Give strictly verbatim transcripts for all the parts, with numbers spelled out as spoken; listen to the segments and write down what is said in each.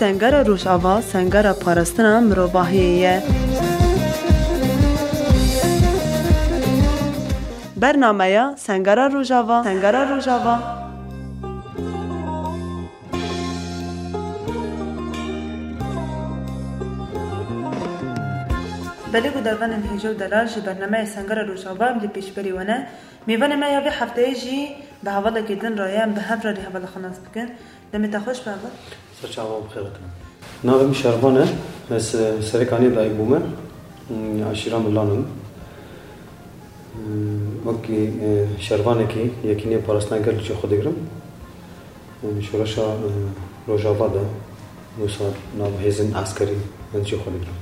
Sengera Rojava, sengera parastina mirovahiyê ye. Bernameya Sengera Rojava, Sengera Rojava. Belê ku dervanên hêja û delal ji bernameyê Sengera Rojava em li pêşberî we ne. Mêvanê me ya vê hefteyê jî bi hevalekî din re ye, em bi hev re lê hevala xwe nas bikin. Demê te xweş be heval. Ser çava bi xêr hatin. Navê min Şervan e. Ez, e, Serêkaniyê dayik bûme. Hmm, aşîra min Lan in. Hmm, wekî, e, şervanekî Yekîniyê Parastina Gel li cê xwe digirim. Hmm, şoreşa, e, Rojava de wisa nav hêzên eskerî ez cê xwe digirim.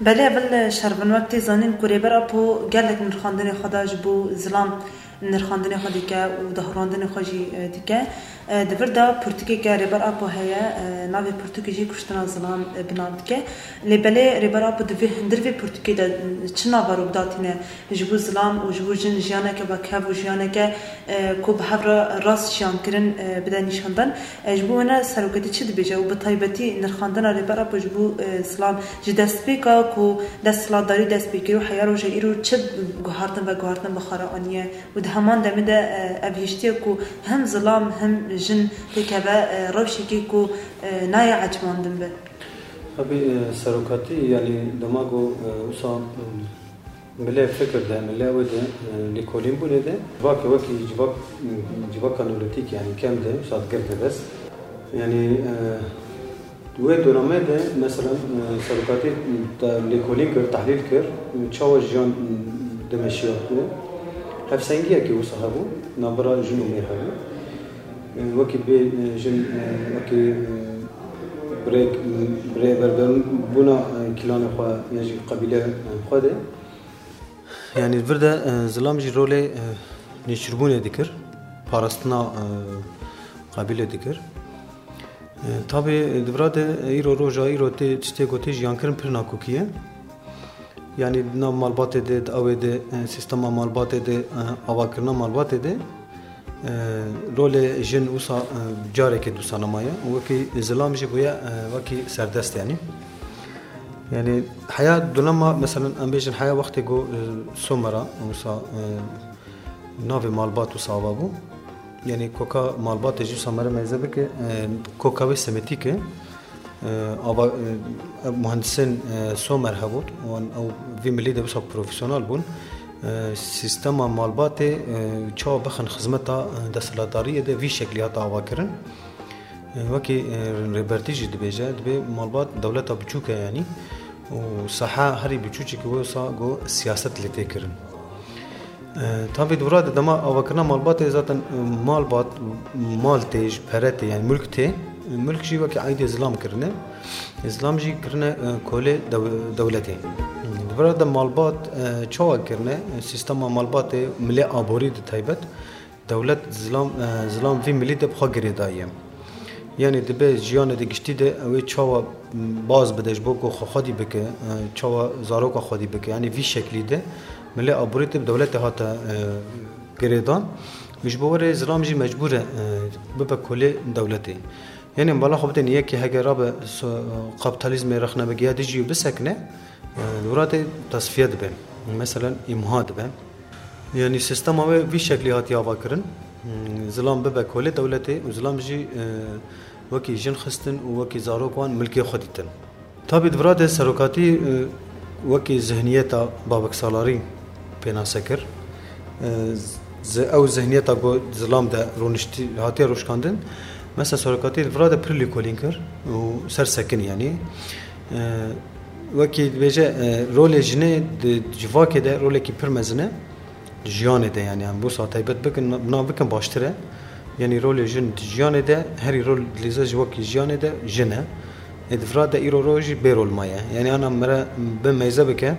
Belê, heval Şervan, wek tê zanîn ku Rêber Apo gelek nirxandinê xwe da ji bo zilam, nirxandinê xwe dike û dahûrandinê xwe jî, e, dike. E, di vir de pirtûkeke Rêber Apo heye, e, navê pirtûkê jî Kuştina Zilam, e, bi nav dike. Lê belê Rêber Apo di vê, hundir vê pirtûkê de, e, çi nava rû bidatîne ji bo zilam û ji bo jin jiyaneke vekev û jiyaneke, e, ku bi hev re rast jiyan kirin, e, bide nîşandan. E, ji bo wina serokatî çi dibêje û bi taybetî nirxandina Rêber Apo ji bo, e, zilam ji destpêka ku desthilatdarî dest pê kir û heya roja îro çi guhartin veguhartin bi xwe re aniye û di heman demê de, e, ev hiştiye ku hem zilam hem jin têkeve, e, rewşekê ku, e, nayê ecibandin be. Tabii, e, serokatî, yani dema ku, e, wisa, e, Milê fikir de, milê wê de, e, lêkolînbûnê de, civakê wekî civak, civaka neolîtîk, yani kem de, wisa digirte dest. Yani, e, wê dönemê de, mesela, e, serokatî te lêkolîn kir, tehlîl kir, çawa jiyan dimeşiyatibû. Hevsengiyekî wisa hebû, navbera jin û mêr hebû. E, wekî bê, e, jin, e, wekî, e, birê, birê berberbûna, e, kîlanê xwe, yan jî qebîlê, e, xwe de. Yani vir de, e, zilam jî rolê, e, nêçîrbûnê dikir, parastina, e, qebîlê dikir. E, tabî, e, di vira de, e, îro roja îro tê, tiştê ku tê jiyankirin pir nakokî ye. Yani di nav malbatê de, di ewê de, e, sîstema malbatê de, e, avakirina malbatê de, e, rolê jin wisa, e, carekê dûsa nemaye. Wekî zilam jî bûye, e, wekî serdest yani. Yani heya dulema, mesela em bêjin heya wextê ku, e, Somera wisa, e, navê malbat wisa ava bû. Yani koka malbatê jî wisa mere meyze bike, e, koka wê semetîk e. E, ava, e, ev muhendisên, e, Somer hebûn, wan ew vî milî de wisa profesyonel bûn. E, sîstema malbatê, e, çawa bixin xizmeta, e, desthilatdariyê de vî şeklî hate avakirin. E, wekî, e, Rêbertî jî dibêje, dibê malbat dewleta biçûk e yanî û saha herî biçûçî ki wisa ku siyaset lê tê kirin. E, tabî di vira de dema avakirina malbatê zaten, e, malbat, mal tê, ji pere tê, yani mulk tê. Mulk jî wekî eydê zilam kirine. Zilam jî kirine, e, kolê dew-, dewletê. Di vira de malbat, e, çawa kirine? Sîstema malbatê milê aborî di taybet. Dewlet zilam, e, zilam vî milî de bi xwe girêdayî ye. Yanî dibe jiyanê de giştî de ew ê çawa baz bide ji bo ku xwe xwedî bike, e, çawa zaroka xwedî bike. Yanî vî şeklî de milê aborî de bi dewletê hate, e, girêdan. Û ji bo wê re zilam jî mecbûr e, e, bibe kolê dewletê. Yanî bala xwe bidin yekê heke rabe so-, kapitalizmê rexne bike ya dijî û bisekine, e, li wira de tasfiye dibe. Meselen îmha dibe. Yanî sîstema wê vî şeklî hatiye avakirin. Hmm, zilam bibe kolê dewletê û zilam jî, e, wekî jin xistin û wekî zarok wan milkê xwe dîtin. Tabî di vira de serokatî, e, wekî zihniyeta babeksalarî pênase kir. E, zi-, ew zihniyeta ku zilam de rûniştî, hatiye rûşkandin. Mesela serokatî di vira de pir lêkolîn kir û ser sekin yanî. E, Wekî dibêje, e, rolê jinê di civakê de rolekî pir mezin e. Di jiyanê de yani, em wisa taybet bikin, nav bikin baştir e. Yani rolê jin di jiyanê de, herî rol dilîze ji wekî jiyanê de jin e. Ê di vira de îro roj jî bê rol maye. Yani ana mere bi meyze bike,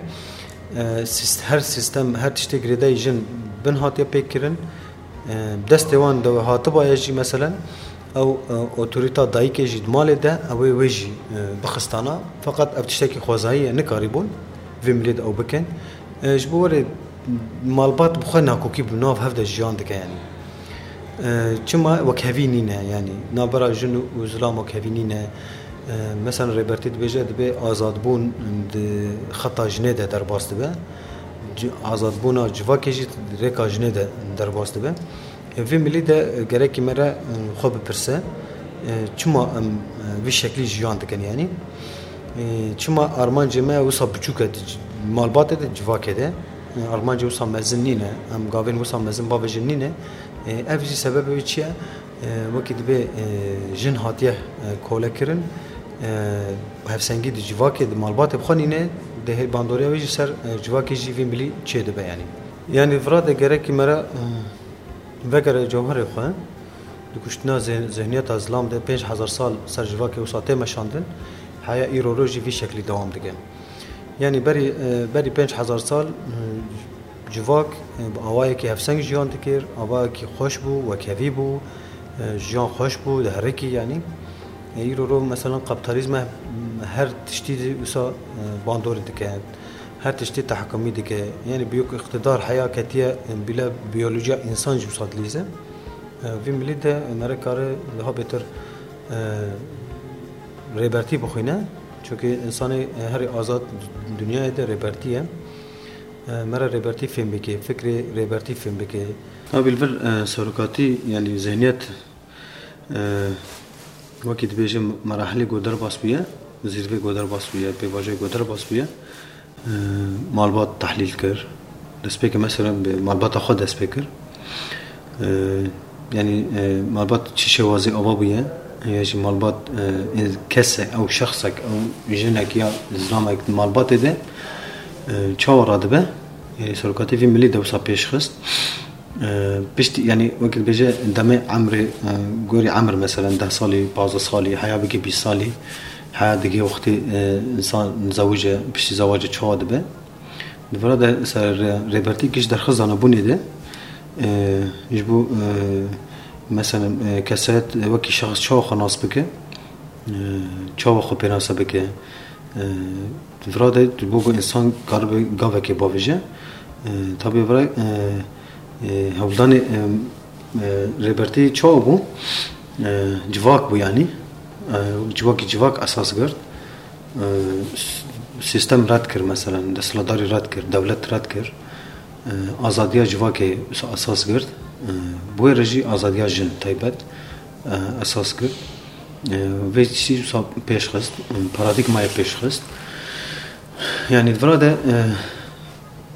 e, sîst-, her sîstem, her tiştê girêdayî jin bin hatiye pêk kirin. E, destê wan de hatibaye jî, meselen, ew, e, otorîta dayikê jî di malê de, ew ê wê jî, e, bixistana. Feqet ev tiştekî xwezayî ye, nikarîbûn vê milê de ew bikin. E, ji bo werê malbat bi xwe nakokî bi nav hev de jiyan dike, yanî. E, çima wekhevî nîne, yanî navbera jin û zilam wekhevî nîne. E, Mesela Rêbertî dibêje, dibê azadbûn di xeta jinê de derbas dibe. Ci- Azadbûna civakê jî di rêka jinê de derbas dibe. E, Vî milî de, e, gerekî me re, e, xwe bipirse, e, çima em, e, vî şeklî jiyan dikin, yanî? E, Çima armancê me wisa biçûk e, di c- malbatê de, civakê de? E, Armancê wisa mezin nîne, em gavên wisa mezin bavêjin nîne. E, Ev jî sebebê wî çi ye? E, Wekî dibê, e, jin hatiye, e, kole kirin, e, hevsengî di civakê, di malbatê bi xwe nîne, dê hê bandoriya wê jî ser, e, civakê jî vî milî çêdibe, yanî. Yanî vira de gerekî me re, e, vegere cewherê xwe, di kuştina zê- zihniyeta zilam de pênc hezar sal ser civakê wisa tê meşandin, heya îro roj jî vî şeklî dewam dike. Yanî berî, e, berî pênc hezar sal, e, civak, e, bi awayekî hevseng jiyan dikir, awayekî xweş bû, wekhevî bû, e, jiyan xweş bû, diherikî, yanî. E, îro ro mesela kapitalizme her tiştî wisa, e, bandorî dike, her tiştî tehkimî dike. Yanî büyük iqtidar heya ketiye, e, bile biyolojiya însan jî wisa dilîze. E, Vî milî de me re kare daha bêtir, e, rêbertî bixwîne. Çunkî însanê, e, herî azad dinyayê de rêbertî ye. E, Me re rêbertî fêm bike, fikrê rêbertî fêm bike. Tabî li vir, e, serokatî, yanî zihniyet, e, wekî dibêje merahilê ku derbas bûye, zîrvê ku derbas bûye, pêvajoyê ku derbas bûye. E, Malbat tehlîl kir. Destpêkê mesela bi malbata xwe dest pê kir. E, Yanî, e, malbat çi şêwazî ava bûye, ya jî malbat, e, ê-, kesek, ew şexsek, ew jinek ya zilamek di malbatê de, e, çawa radibe? E, serokatî vî milî de wisa pêş xist. E, piştî, yanî wekî dibêje demê emrê, e, gorî emr, mesela deh salî, pazdeh salî, heya bike bîst salî, heya digê wextê, e, însan zewice, piştî zewacê çawa dibe? Di vira de ser rê-, rêbertî giş derxist danebûnê de, e, ji bo, e, mesela, e, kesayet wekî şexs çawa xwe nas bike, e, çawa xwe pênase bike, e, di vira de ji bo ku însan karibe gavekê bavêje, e, tabî vira, e, e, hewldanê, e, e, rêbertî çawa bû? E, civak bû, yanî. E, civakî civak esas girt. E, s-, Sîstem red kir, mesela, desthilatdarî red kir, dewlet red kir. E, azadiya civakê esas girt. E, Bi wê re jî azadiya jin taybet, e, esas girt. E, Vê tiştî wisa pêş xist, e, paradîgmayê pêş xist. Yanî di vira de, e,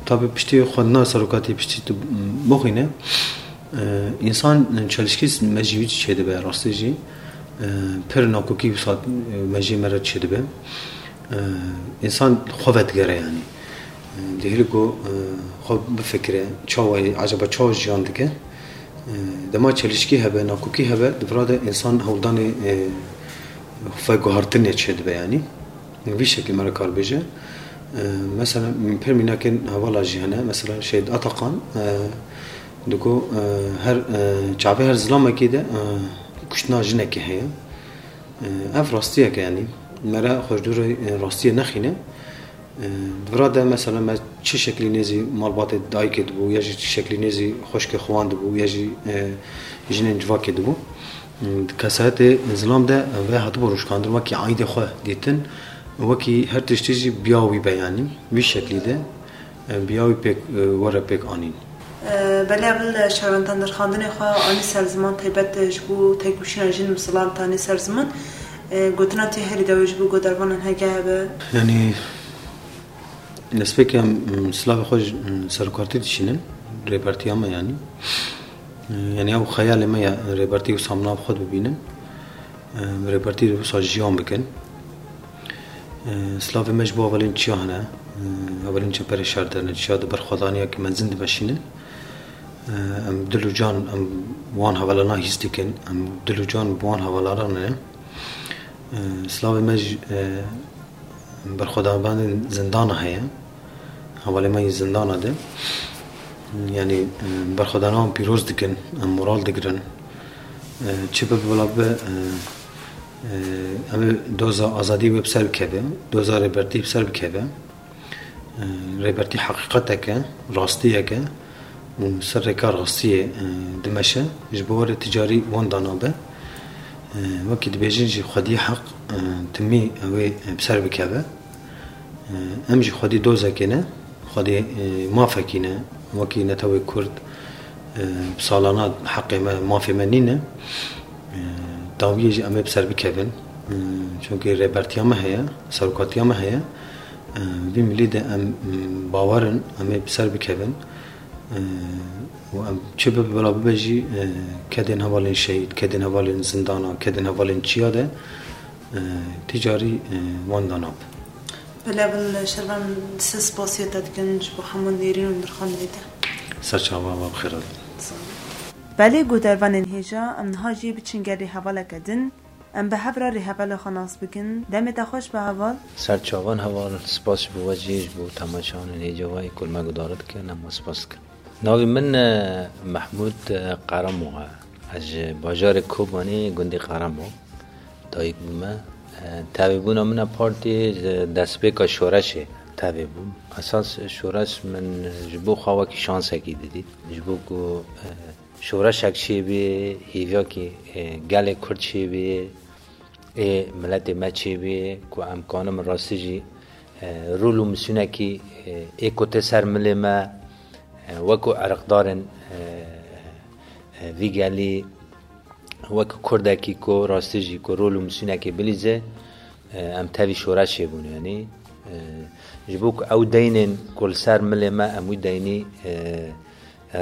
Tabî piştî xwendina serokatî piştî tu bixwîne, e, însan çelişkî mejî wî çêdibe, rastî jî, e, pir nakokî wisa, e, mejiyê me re çêdibe. E, Însan xwe vedigere, yanî. E, Dihêle ku, e, xwe bifikire, çawa ye, ecaba çawa jiyan dike? E, Dema çelişkî hebe, nakokî hebe, di vira de însan hewldanê, e, veguhartinê çêdibe, yanî. Vî şeklî me re kar bêje. E, Mesela, min pir mînakên hevala jî hene. Mesela, Şehîd Atakan, e, digo, e, her, e, çavê her zilamekî de, e, kuştina jinekê heye. E, Ev rastiyek e, yanî. Me re xwe ji dûrê, e, rastiyê nexîne. E, Di vira de, mesela, me çi şeklî nêzî malbatê dayikê dibû, ya jî çi şeklî nêzî xwişkê xwe wan dibû, ya jî, e, jinên civakê dibû. Di kesayetê zilam de vê hatibû rûşkandin, wekî aîdê xwe dîtin, wekî her tiştî jî biya wî be, yanî vî şeklî de, e, biya wî pêk, e, were pêk anîn. E, Belê, ev li şarantan derxandinê xwe anî ser ziman, taybet ji bo têkoşîna jin bi zilam tanî ser ziman. E, gotina te herî dawî ji bo godarvanan hege hebe? Yanî, Destpêkê em, em, silavê xwe ji, em, serokatî dişînin, rêbertiya me, yanî. E, Yanî ew xeyalê me ye, rêbertî wisa bi nav xwe bibînin. E, Rêbertî wisa jiyan bikin. E, Silavê me ji bo hevalên çiya hene, e, hevalên çeperê şer de ne, çiya di berxwedaniyeke mezin dimeşînin. E, Em dil û can, em wan hevalana hîs dikin, em dil û can bi wan hevalana ne. E, Silavê me ji, e, Berxwedanvanên zindana heye. Hevalê me yê zindana de. Yanî, e, berxwedanan pîroz dikin, em moral digirin. E, çi bibe wela bibe, e, e, em ê doza azadî wê bi ser bikeve, doza rêbertî bi ser bikeve. E, Rêbertî heqîqetek e, rastiyek e. Û ser rêka rastiyê, e, dimeşe, ji bo were ticarî wan dana be. Wekî dibêjin jî xwedî heq, e, timî ew ê, e, bi ser bikeve. E, em jî xwedî dozekê ne, xwedî, e, mafekî ne. Wekî netewê Kurd, e, bi salana heqê me, mafê me nîne. E, dawiyê jî em ê bi ser bikevin. E, çunkî rêbertiya me heye, serokatiya me heye. E, vî milî de em, m, bawer in, em ê bi ser bikevin. E, û em çi bibe bila bibe jî, e, kedên hevalên şehîd, kedên hevalên zindana, kedên hevalên çiya de, e, tîcarî, e, wan da nab. Belê, Şervan, siz spasiya te dikin ji bo hemû nêrîn û nirxandinê te. Serçava we bi xêr hatin. Belê, guhdarvanên hêja, em niha jî biçin gelê hevaleke din. Em bi hev re rêhevalê xwe nas bikin. Demê te xweş be heval. Ser çavan heval, spas ji bo we jî, ji bo temaşevanên hêja we yê ku li me guhdar dikin, em we spas dikin. Navê min, e, Mehmûd, e, Qeremo e. Ez ji bajarê Kobanê, gundê Qeremo dayik bûme. E, tevîbûna min a partiyê ji destpêka şoreşê tevî bûm. Esas şoreş min ji bo xwe wekî şansekî didît. Ji bo ku, e, şoreşek çêbê, hêviyakî, e, gelê Kurd çêbê, ê miletê me çêbê, ku em kanin rastî jî, e, rol û misûnekî, e, ê ku tê ser milê me, e, wekû erqdarên, e, e, vî gelî, wekî Kurdekî ku rastî jî ku rol û misûnekê bilîze, e, em tevî şoreşê bûn, yanî, e, ji bo ku ew deynên ku li ser milê me, em wî deynî, e,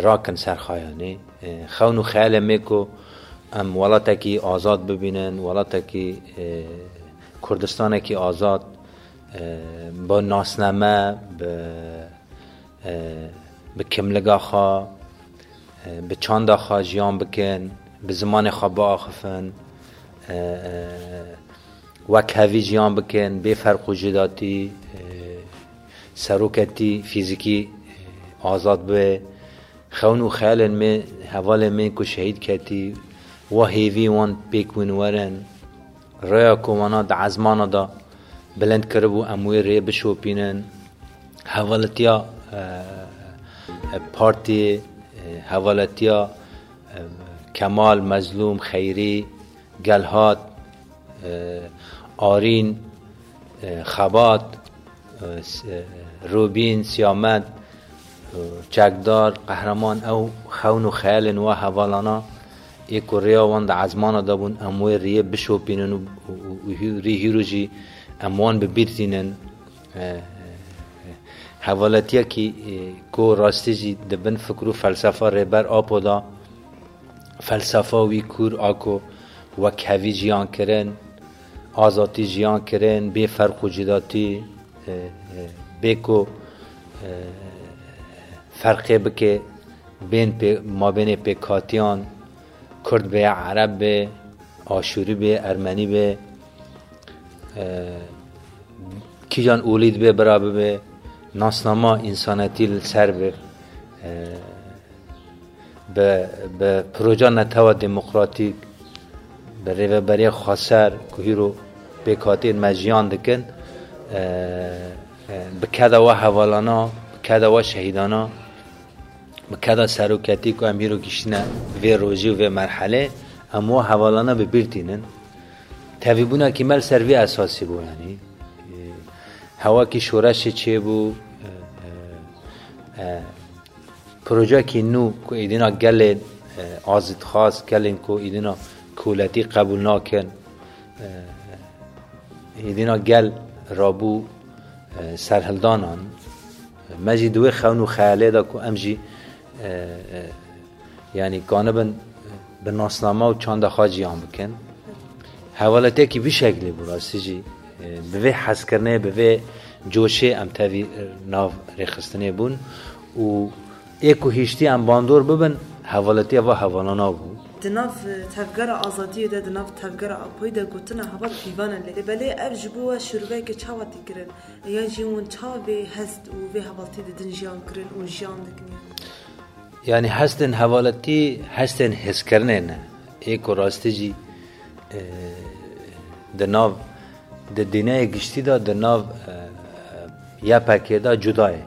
rakin ser xwe, yanî, e, xewn û xeyalê me ku em welatekî azad bibînin, welatekî, e, Kurdistanekî azad, e, bi nasname, bi, e, bi kimliga xwe, e, bi çanda xwe jiyan bikin, bi zimanê xwe biaxifin, e, e, wek hevî jiyan bikin, bê ferq û cidatî, e, seroketî fîzîkî, e, azad be. Xewn û xeyalên me, hevalên me ku şehîd ketî, wa hêvî wan pêk win werin. Rêya ku wana di ezmana de bilind kiribû, em wê rê bişopînin. Hevaletiya, e, e, partiyê, e, hevaletiya, e, Kemal, Mezlûm, Xeyrî, Gelhat, e, Arîn, e, Xebat, e, s-, e, Rûbîn, Siyamed, e, Çekdar, Qehreman, ew xewn û xeyalên wa hevalana ê ku rêya wan di ezmana de bûn, em wê rêyê bişopînin û, û, û, û hî-, rî hîro jî em wan bi bîr tînin. E, e, hevaletiyekî, e, ku rastî jî di bin fikr û felsefa Rêber Apo de, felsefa wî kûr a ku wekhevî jiyan kirin, azadî jiyan kirin, bê ferq û cidatî, e, e, bê ku, e, ferqê bike bên pê-, mabênê pêkhatiyan, Kurd be, Ereb be, Aşûrî be, Ermenî be, e, kîjan olî dibe bira bibe, nasnama însanetî li ser be, e, bi, bi proja netewa demokratîk, bi rêveberiya xweser ku hîro pêkhatiyên me jiyan dikin, e, e, bi keda we hevalana, bi keda we şehîdana, bi keda seroketî ku em hîro giştine vê rojê û vê merhelê, em we hevalana bi bîr tînin. Tevîbûnekî me li ser vî esasî bû, yanî, e, hewakî şoreşê çêbû, e, e, e, Projeyekî nû ku êdîna gelên, e, azîdxwaz, gelên ku êdîna koletî qebûl nakin, e, êdîna gel rabû, e, serhildanan. Me jî di wê xewn û xeyalê de ku em jî, e, e, yanî kanibin bi nasname û çanda xwe jiyan bikin. Hevaletiyekî vî şeklê bû rastî jî, e, bi vê hezkirinê, bi vê coşê em tevî, e, nav rêxistinê bûn û ê ku hiştî em bandor bibin, hevaletiya va hevalana bû. Di nav, e, tevgera azadiyê de, di nav tevgera Apoyî de gotina heval pîvan e lê. Belê ev ji bo we şîroveyeke çawa tê kirin? Yan jî hûn çawa vê hest û vê hevaltiyê didin jiyan kirin û jiyan dikin? Yanî hestên hevaletî, hestên hêzkirinê ne. Ê ku rastî jî, e, di nav, di dîneyê giştî de, di nav, e, Y P G de cuda ye.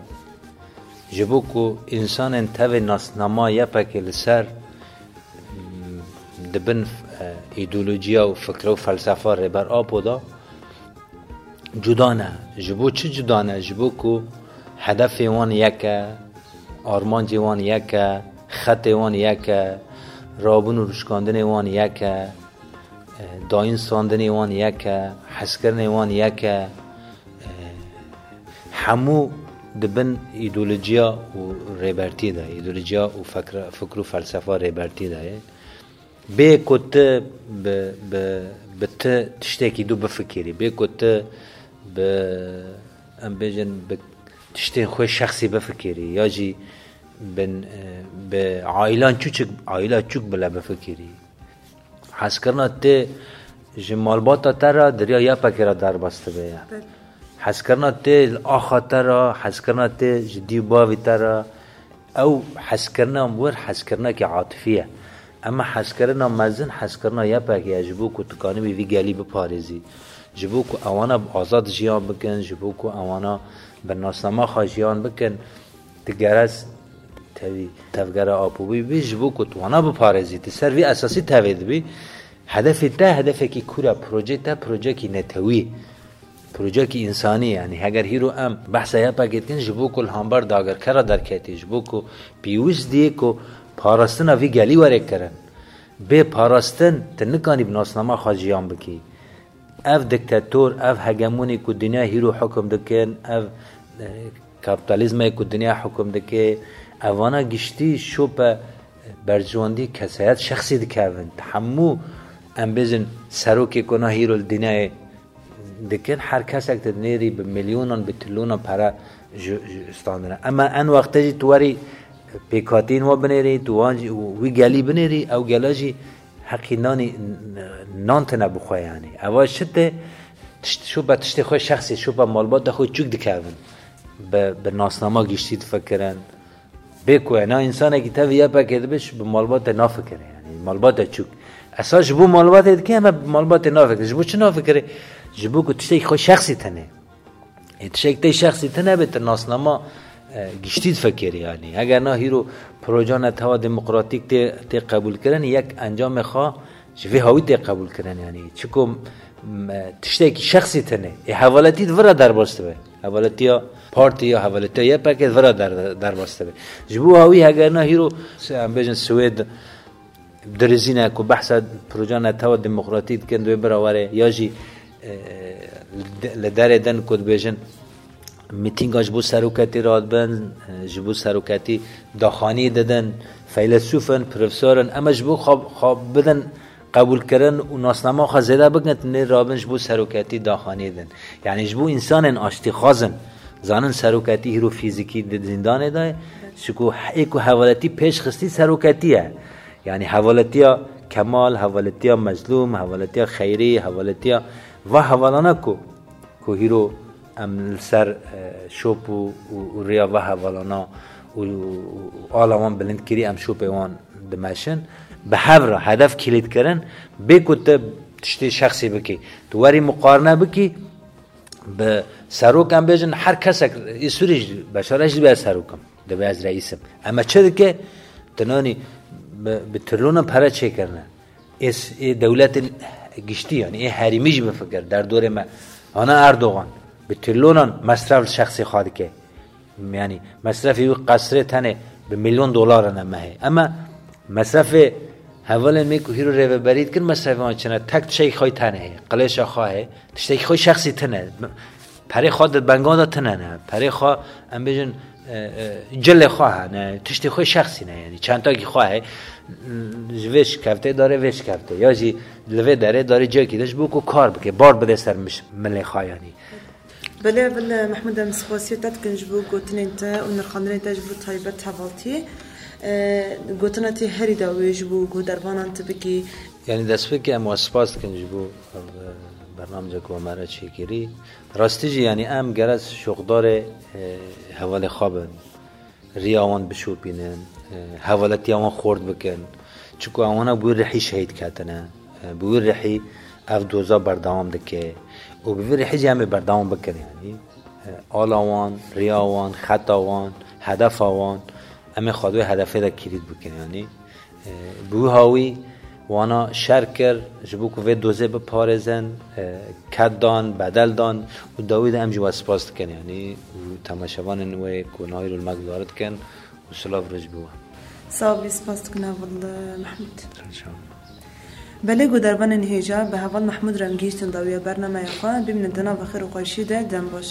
Ji bo ku însanên tevê nasnama Y P G li ser, m, Di bin, e, îdeolojiya û fikre û felsefa Rêber Apo de cuda ne. Ji bo çi cuda ne? Ji bo ku hedefê wan yek e, armancê wan yek e, xetê wan yek e, rabûn û rûşkandinê wan yek e, e, dayîn standinê wan yek e, hezkirinê wan yek e. E, hemû di bin îdeolojiya û rêbertiyê de, îdeolojiya û fikra, fikr û felsefa rêbertiyê de ye. Bê ku tu bi, bi, bi ti tiştekî du bifikirî, bê ku tu bi, em bêjin, bi tiştên xwe şexsî bifikirî, ya jî bin, e, bi ailan çûçik, aila çûk bile bifikirî. Hezkirina te ji malbata te re di riya YPGê re derbas dibe ye. Belê. Hezkirina te li axa te re, hezkirina te ji dî û bavî te re, ew hezkirina wir hezkirinekî atifî ye. Ema hezkirina mezin hezkirina YPGê ye, ji bo ku tu kanibî vî gelî biparêzî. Ji bo ku ewana bi azad jiyan bikin, ji bo ku ewana bi nasnama xwe jiyan bikin, tu gerez tevî tevgera Apo bî, bî ji bo ku tu wana biparêzî, tu ser vî esasî tevê dibî. Hedefê te hedefekî kûr e, projê te projekî netewî, projekî însanî. Yanî heger hîro em behsa YPGê dikin, ji bo ku li hember dagirkera derketî, ji bo ku pêwîst dî ku parastina vî gelî were kirin. Bê parastin tu nikanî bi nasnama xwe jiyan bikî. Ev diktator, ev hegemonê ku dinya hîro hukum dikin, ev, e, kapitalizmê ku dinya hukum dike, evana giştî şope berjewendî kesayet şexsî dikevin. Hemû, em bêjin, serokê ku na hîro li dinyayê dikin, her kesek tu dinêrî bi milyonan, bi trilyonan pere ji, ji standine. Ema en wexte jî tu werî pêkhatiyên we binêrî, tu wan jî, wî gelî binêrî, ew gela jî heqî nanî, nan tine bi xwe, yanî. Eva şite tişt, şopa tiştê xwe şexsî, şopa malbata xwe çûk dikevin. Bi, bi nasnama giştî difikirin. Bê ku ena însanekî tevî YPGê dibe, bi malbatê nafikire, yanî malbata çûk. Esas ji bo malbatê dike, ema bi malbatê nafikire. Ji bo çi nafikire? Ji bo ku tiştekî xwe şexsî tine. Ê tiştek tê şexsî tine be, tu nasnama, e, giştî difikirî, yanî. Heger na hîro proja netewa demokratîk tê, tê qebûlkirin, yek encamê xwe ji vê hawî tê qebûlkirin, yanî. Çiku, m, e, tiştekî şexsî tine. Ê hevaletî di vira derbas dibe. Hevaletiya partî ya hevaletiya YPGê di vira der, derbas dibe. Ji bo hawî heger na hîro, em bêjin Swêd, dirizîne ku behsa proja netewa demokratîk dikin, divê bira were, ya jî, e, li de-, li derê din ku dibêjin, mîtînga ji bo seroketî radibin, e, ji bo seroketî daxanî didin, feylesûf in, profesor in, ema ji bo xwe, xwe bidin qebûlkirin û nasnama xwe zêde bikin, nê rabin ji bo seroketî daxanî din. Yanî ji bo însanên aştîxwaz in, zanin seroketî hîro fîzîkî di zîndanê de ye, çiku ê ku hevaletî pêş xistî seroketî ye. Yanî hevaletiya Kemal, hevaletiya Mezlûm, hevaletiya Xeyrî, hevaletiya va hevalana ku, ku hîro em li ser, e, şop û, û, û riya va hevalana û, û, û ala wan bilind kirî, em şopê wan dimeşin. Bi hev re hedef kilît kirin, bê ku tu tiştê şexsî bikî. Tu werî muqarine bikî, bi serok em bêjin, her kesek, ê Sûrî jî, Beşar jî dibe serok im, dibe ez reîs im. Ema çi dike? Tinanî bi, bi trilyonan pere çêkirine. Ê s-, ê dewletên giştî, yanî ê herêmî jî bifikir, derdorê me. Ana Erdogan bi trilyonan mesref li şexsê xwe dike. Yanî mesrefê wî qesrê tenê bi milyon dolar in mehê. Ema mesrefê hevalên me ku hîro rêveberî dikin, mesrefê wan çi ne? Tek tiştekî xwe tenê heye, qilêşa xwe heye, tiştekî xwe şexsî tine. Perê xwe di benga de tine ne. Perê xwe, em bêjin, e, e, cilê xwe hene, tiştê xwe şexsî ne, yanî çentakî xwe heye. Ji vê şikeftê dare vê şikeftê. Ya jî li vê derê dare ciyekî de ji bo ku kar bike, bar bide ser miş-, milê xwe, yanî. Belê, belê, Mehmûd, em spasiya te dikin ji bo gotinên te û nirxandinên te ji bo taybet hevaltiyê. E, gotina te herî dawî ji bo guhdarvanan tu bikî. Yanî destpêkê em we spas dikin ji bo, e, bernamecek we me re çêkirî. Rastî jî, yanî em gerek şoxdarê, e, hevalê xwe bin. Riya wan bişopînin, e, hevaletiya wan xort bikin. Çiku ewana bi wî rihî şehîd ketine. E, bi wî rihî ev doza berdewam dike. Û bi vî rihî jî em ê berdewam bikin, yanî. E, ala wan, riya wan, xeta wan, hedefa wan, em ê xwe di wê hedefê de kilît bikin, yanî. E, bi wî hawî Wana şer kir, ji bo ku vê dozê biparêzin, e, ked dan, bedel dan û dawî de em jî we spas dikin, yanî û temaşevanên wê ku Nahîr û Mek diyar dikin û silav roj bi we. Sağ ol, spas dikin heval Mehmûd. Belê ku dervanên hêja bi heval Mehmûd re em gihîştin dawiya bernameya xwe, bimînin di nava xêr û xweşî de, dem baş.